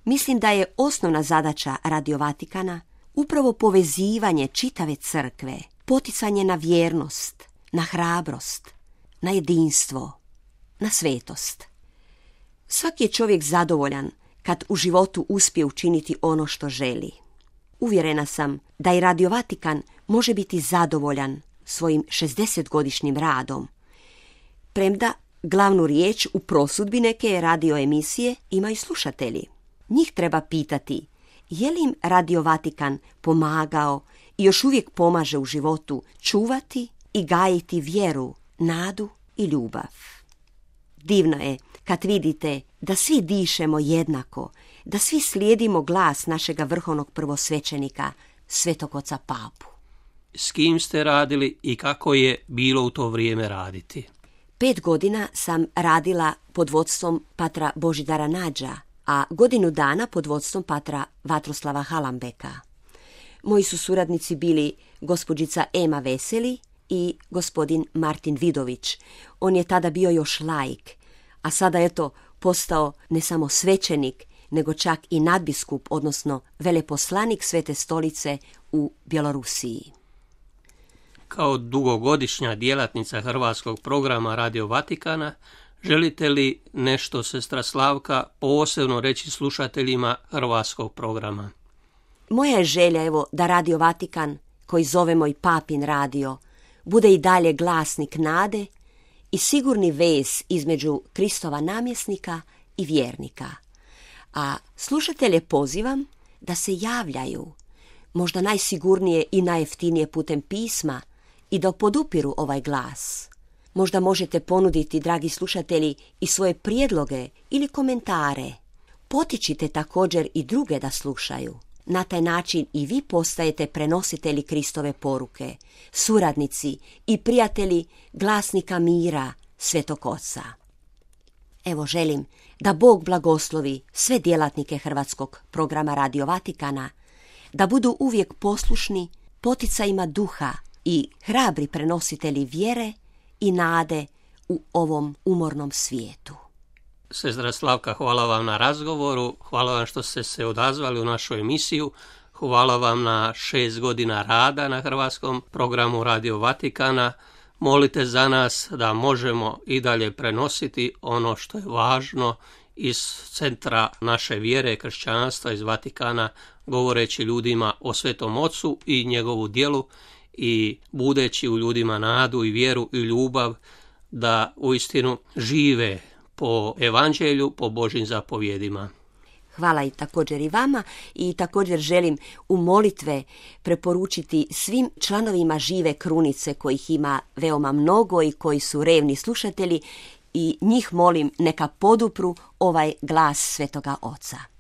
Mislim da je osnovna zadaća Radio Vatikana upravo povezivanje čitave crkve, poticanje na vjernost, na hrabrost, na jedinstvo, na svetost. Svaki je čovjek zadovoljan kad u životu uspije učiniti ono što želi. Uvjerena sam da i Radio Vatikan može biti zadovoljan svojim 60-godišnjim radom, premda glavnu riječ u prosudbi neke radio emisije imaju slušatelji. Njih treba pitati je li im Radio Vatikan pomagao i još uvijek pomaže u životu čuvati i gajiti vjeru, nadu i ljubav. Divno je kad vidite da svi dišemo jednako, da svi slijedimo glas našega vrhovnog prvosvećenika, Svetog oca Papu. S kim ste radili i kako je bilo u to vrijeme raditi? 5 godina sam radila pod vodstvom patra Božidara Nađa, a godinu dana pod vodstvom patra Vatroslava Halambeka. Moji su suradnici bili gospođica Ema Veseli i gospodin Martin Vidović. On je tada bio još laik, a sada je to postao ne samo svećenik, nego čak i nadbiskup, odnosno veleposlanik Svete stolice u Bjelorusiji. Kao dugogodišnja djelatnica hrvatskog programa Radio Vatikana, želite li nešto, sestra Slavka, posebno reći slušateljima hrvatskog programa? Moja je želja, da Radio Vatikan, koji zovemo i Papin radio, bude i dalje glasnik nade i sigurni vez između Kristova namjesnika i vjernika. A slušatelje pozivam da se javljaju, možda najsigurnije i najjeftinije putem pisma, i da podupiru ovaj glas. Možda možete ponuditi, dragi slušatelji, i svoje prijedloge ili komentare. Potičite također i druge da slušaju. Na taj način i vi postajete prenositelji Kristove poruke, suradnici i prijatelji glasnika mira Svetog Oca. Želim da Bog blagoslovi sve djelatnike hrvatskog programa Radio Vatikana, da budu uvijek poslušni poticajima duha i hrabri prenositelji vjere i nade u ovom umornom svijetu. Sestra Slavka, hvala vam na razgovoru, hvala vam što ste se odazvali u našu emisiju, hvala vam na 6 godina rada na hrvatskom programu Radio Vatikana. Molite za nas da možemo i dalje prenositi ono što je važno iz centra naše vjere, kršćanstva, iz Vatikana, govoreći ljudima o Svetom Ocu i njegovu djelu i budeći u ljudima nadu i vjeru i ljubav da uistinu žive po evanđelju, po Božjim zapovjedima. Hvala i također i vama i također želim u molitve preporučiti svim članovima Žive krunice kojih ima veoma mnogo i koji su revni slušatelji i njih molim neka podupru ovaj glas Svetoga Oca.